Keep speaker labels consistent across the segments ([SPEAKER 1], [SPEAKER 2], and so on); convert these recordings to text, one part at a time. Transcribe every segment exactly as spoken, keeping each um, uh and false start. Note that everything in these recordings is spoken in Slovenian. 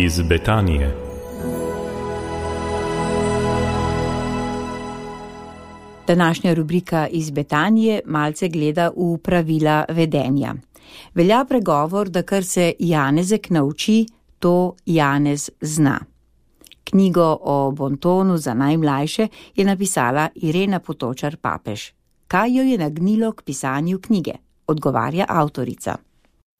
[SPEAKER 1] iz Betanije.
[SPEAKER 2] Današnja rubrika iz Betanije malce gleda v pravila vedenja. Velja pregovor, da kar se Janezek nauči, to Janez zna. Knjigo o bontonu za najmlajše je napisala Irena Potočar Papež. Kaj jo je nagnilo k pisanju knjige? Odgovarja avtorica.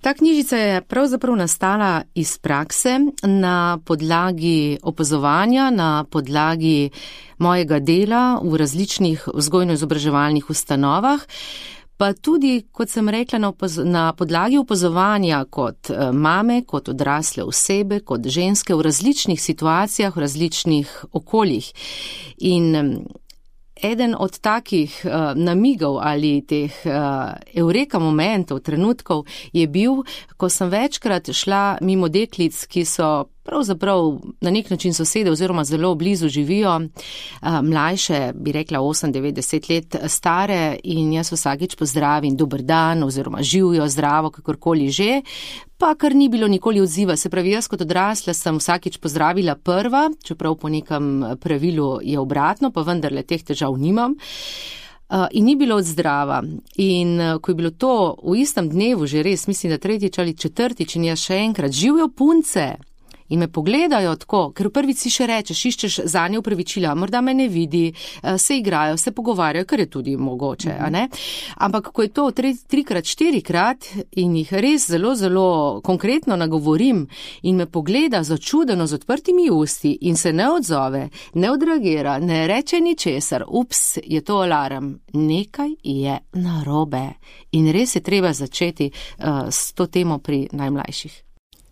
[SPEAKER 3] Ta knjižica je pravzaprav nastala iz prakse na podlagi opazovanja, na podlagi mojega dela v različnih vzgojno-izobraževalnih ustanovah, pa tudi, kot sem rekla, na, opaz- na podlagi opazovanja kot mame, kot odrasle osebe, kot ženske v različnih situacijah, v različnih okoljih. In eden od takih uh, namigov ali teh uh, eureka momentov, trenutkov je bil, ko sem večkrat šla mimo deklic, ki so pravzaprav na nek način sosede oziroma zelo blizu živijo, uh, mlajše, bi rekla osem, devet, deset let stare, in jaz vsakič pozdravim dober dan oziroma živijo, zdravo, kakorkoli že, pa kar ni bilo nikoli odziva. Se pravi, jaz kot odrasla sem vsakič pozdravila prva, čeprav po nekem pravilu je obratno, pa vendarle teh težav nimam. Uh, in ni bilo odzdrava. In uh, ko je bilo to v istem dnevu, že res, mislim, da tretjič ali četrtič, in jaz še enkrat, živijo punce in me pogledajo tako, ker v prvič si še rečeš, iščeš zanje upravičila, morda me ne vidi, se igrajo, se pogovarjajo, kar je tudi mogoče, a ne? Ampak ko je to tri, trikrat, štirikrat in jih res zelo, zelo konkretno nagovorim in me pogleda začudeno z odprtimi usti in se ne odzove, ne odreagira, ne reče ničesar, ups, je to alarm, nekaj je narobe. In res je treba začeti uh, s to temo pri najmlajših.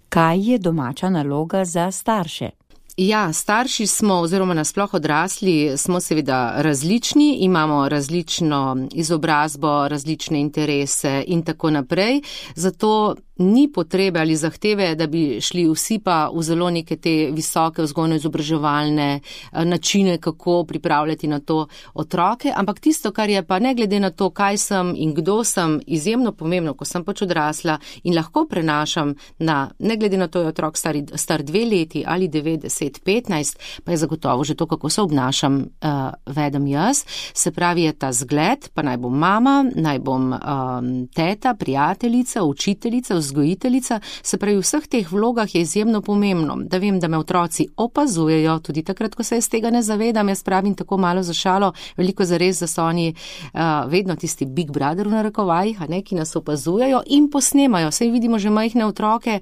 [SPEAKER 2] Kaj je domača naloga za starše?
[SPEAKER 3] Ja, starši smo oziroma nasploh odrasli smo seveda različni, imamo različno izobrazbo, različne interese in tako naprej, zato ni potrebe ali zahteve, da bi šli vsi pa v zelo neke te visoke vzgojno-izobraževalne načine, kako pripravljati na to otroke, ampak tisto, kar je pa ne glede na to, kaj sem in kdo sem, izjemno pomembno, ko sem pač odrasla in lahko prenašam na, ne glede na to, je otrok star, star dve leti ali devet, deset, petnajst, pa je zagotovo že to, kako se obnašam, uh, vedem jaz. Se pravi, je ta zgled, pa naj bom mama, naj bom um, teta, prijateljica, učiteljica, vzgojiteljica, se pravi, v vseh teh vlogah je izjemno pomembno, da vem, da me otroci opazujejo, tudi takrat, ko se jaz tega ne zavedam, jaz pravim tako malo za šalo, veliko zares, da so oni uh, vedno tisti big brother v narekovajih, a ne, ki nas opazujejo in posnemajo. Saj vidimo že majhne otroke,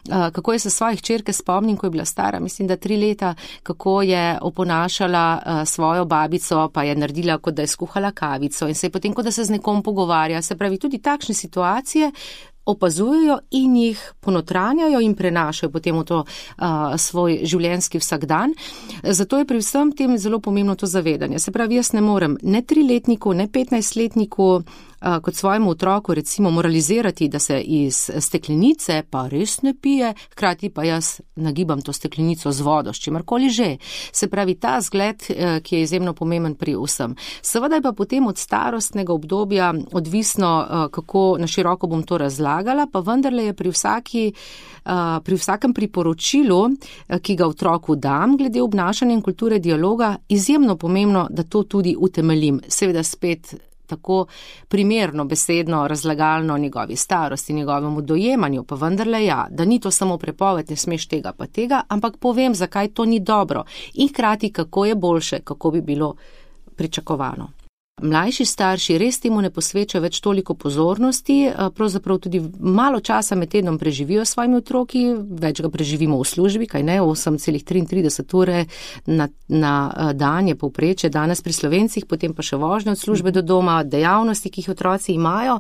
[SPEAKER 3] Uh, kako je se svojih hčerke spomnim, ko je bila stara, mislim, da tri leta, kako je oponašala uh, svojo babico, pa je naredila, kot da je skuhala kavico in se je potem, kot da se z nekom pogovarja. Se pravi, tudi takšne situacije opazujejo in jih ponotranjajo in prenašajo potem v to uh, svoj življenjski vsakdan. Zato je pri vsem tem zelo pomembno to zavedanje. Se pravi, jaz ne morem ne triletniku, ne petnajstletniku kot svojemu otroku recimo moralizirati, da se iz steklenice pa res ne pije, hkrati pa jaz nagibam to steklenico z vodo, s čimerkoli že. Se pravi, ta zgled, ki je izjemno pomemben pri vsem. Seveda je pa potem od starostnega obdobja odvisno, kako na široko bom to razlagala, pa vendarle je pri vsaki, pri vsakem priporočilu, ki ga otroku dam glede obnašanja in kulture dialoga, izjemno pomembno, da to tudi utemeljim. Seveda spet tako primerno, besedno, razlagalno njegovi starosti, njegovemu dojemanju, pa vendarle ja, da ni to samo prepoved, ne smeš tega pa tega, ampak povem, zakaj to ni dobro in hkrati, kako je boljše, kako bi bilo pričakovano. Mlajši starši res temu ne posvečajo več toliko pozornosti, pravzaprav tudi malo časa med tednom preživijo s svojimi otroki, več ga preživimo v službi, kaj ne, osem celih triintrideset ure na, na dan je povprečje danes pri Slovencih, potem pa še vožnje od službe do doma, dejavnosti, ki jih otroci imajo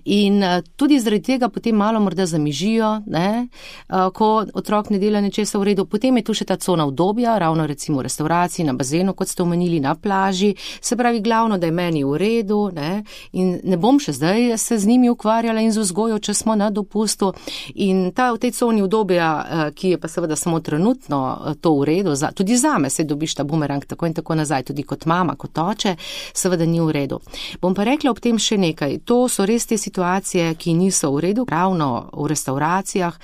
[SPEAKER 3] in tudi zaradi tega potem malo morda zamižijo, ne, ko otrok ne dela nečesa v redu. Potem je tu še ta cona udobja, ravno recimo v restavraciji, na bazenu, kot ste omenili, na plaži, se pravi glavno, da je meni v redu, ne, in ne bom še zdaj se z njimi ukvarjala in z vzgojo, če smo na dopustu. In ta v tej coni udobja, ki je pa seveda samo trenutno to v redu, za, tudi zame se dobiš ta bumerang tako in tako nazaj, tudi kot mama, kot oče, seveda ni v redu. Bom pa rekla ob tem še nekaj. To so res te situacije, ki niso v redu, ravno v restauracijah,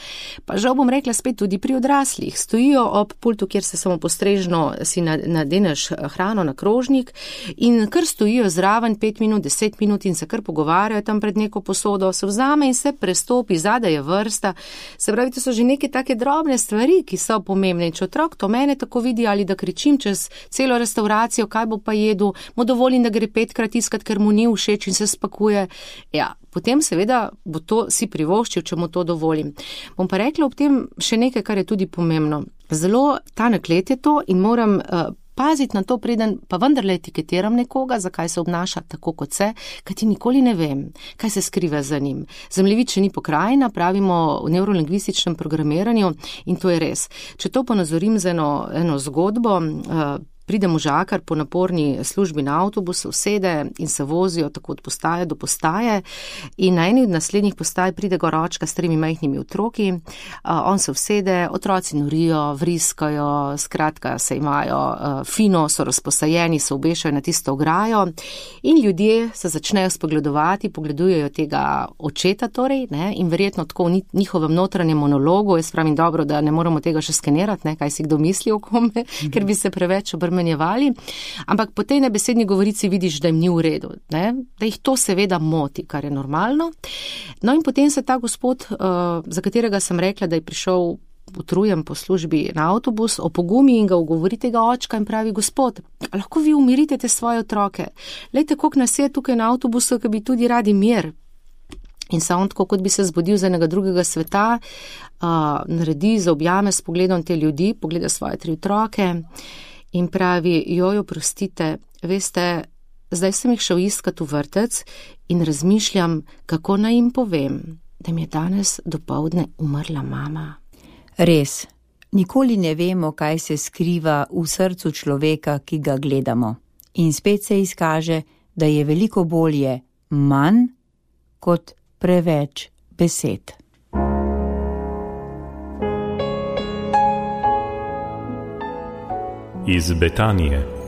[SPEAKER 3] pa žal bom rekla spet tudi pri odraslih. Stojijo ob pultu, kjer se samo postrežno si nadeneš hrano na krožnik in kar stojijo zraven pet minut, deset minut in se kar pogovarjajo tam pred neko posodo, se vzame in se prestopi, zadaj je vrsta. Se pravi, to so že neke take drobne stvari, ki so pomembne. In če otrok to mene tako vidi ali da kričim čez celo restauracijo, kaj bo pa jedel, mu dovolim, da gre petkrat iskat, ker mu ni všeč in se spakuje. Ja, potem seveda bo to si privoščil, če mu to dovolim. Bom pa rekla ob tem še nekaj, kar je tudi pomembno. Zelo tanek led je to in moram uh, paziti na to, preden pa vendarle etiketiram nekoga, zakaj se obnaša tako kot se, kajti nikoli ne vem, kaj se skriva za njim. Zemljevid še ni pokrajina, pravimo v neurolingvističnem programiranju in to je res. Če to ponazorim z eno, eno zgodbo, uh, pride možakar po naporni službi na avtobus, usede in se vozijo tako od postaje do postaje in na eni od naslednjih postaj pride goročka s tremi majhnimi otroki, on se usede, otroci norijo, vriskajo, skratka se imajo fino, so razposajeni, se obešajo na tisto ograjo in ljudje se začnejo spogledovati, pogledujejo tega očeta torej, ne, in verjetno tako v njihovem notranjem monologu, jaz pravim dobro, da ne moramo tega še skenirati, ne, kaj si kdo misli o kome, mm-hmm. ker bi se preveč obrmenjevali. Ampak po tej nebesedni govorici vidiš, da jim ni v redu, ne? Da jih to seveda moti, kar je normalno. No in potem se ta gospod, uh, za katerega sem rekla, da je prišel utrujen po službi na avtobus, opogumi in ga ugovori tega očka in pravi, gospod, lahko vi umirite te svoje otroke. Lejte, koliko nas je tukaj na avtobusu, ki bi tudi radi mir. In se on tako, kot bi se zbudil z enega drugega sveta, uh, naredi, zaobjame s pogledom te ljudi, pogleda svoje tri otroke in pravi, joj, oprostite, veste, zdaj sem jih šel iskat v vrtec in razmišljam, kako naj jim povem, da mi je danes dopoldne umrla mama.
[SPEAKER 2] Res, nikoli ne vemo, kaj se skriva v srcu človeka, ki ga gledamo. In spet se izkaže, da je veliko bolje manj kot preveč besed.
[SPEAKER 1] Iz Betanije.